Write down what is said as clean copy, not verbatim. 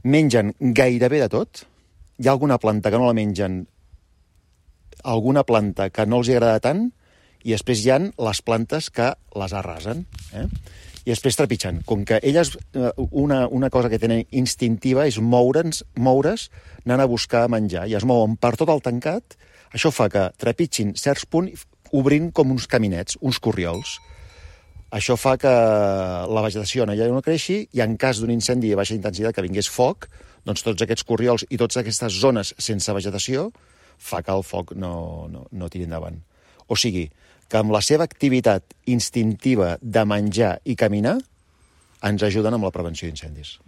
mengen gairebé de tot. Hi ha alguna planta que no la mengen, alguna planta que no els agrada tant, i després hi ha les plantes que les arrasen, i després trepitgen. Com que elles, una cosa que tenen instintiva és moure's anant a buscar menjar, i es mouen per tot el tancat. Això fa que trepitgin certs punts obrint com uns caminets, uns corriols. Això fa que la vegetació allà no creixi, i en cas d'un incendi de baixa intensitat que vingués foc, doncs tots aquests corriols i totes aquestes zones sense vegetació fa que el foc no tiri endavant. O sigui, que amb la seva activitat instintiva de menjar i caminar ens ajuden amb la prevenció d'incendis.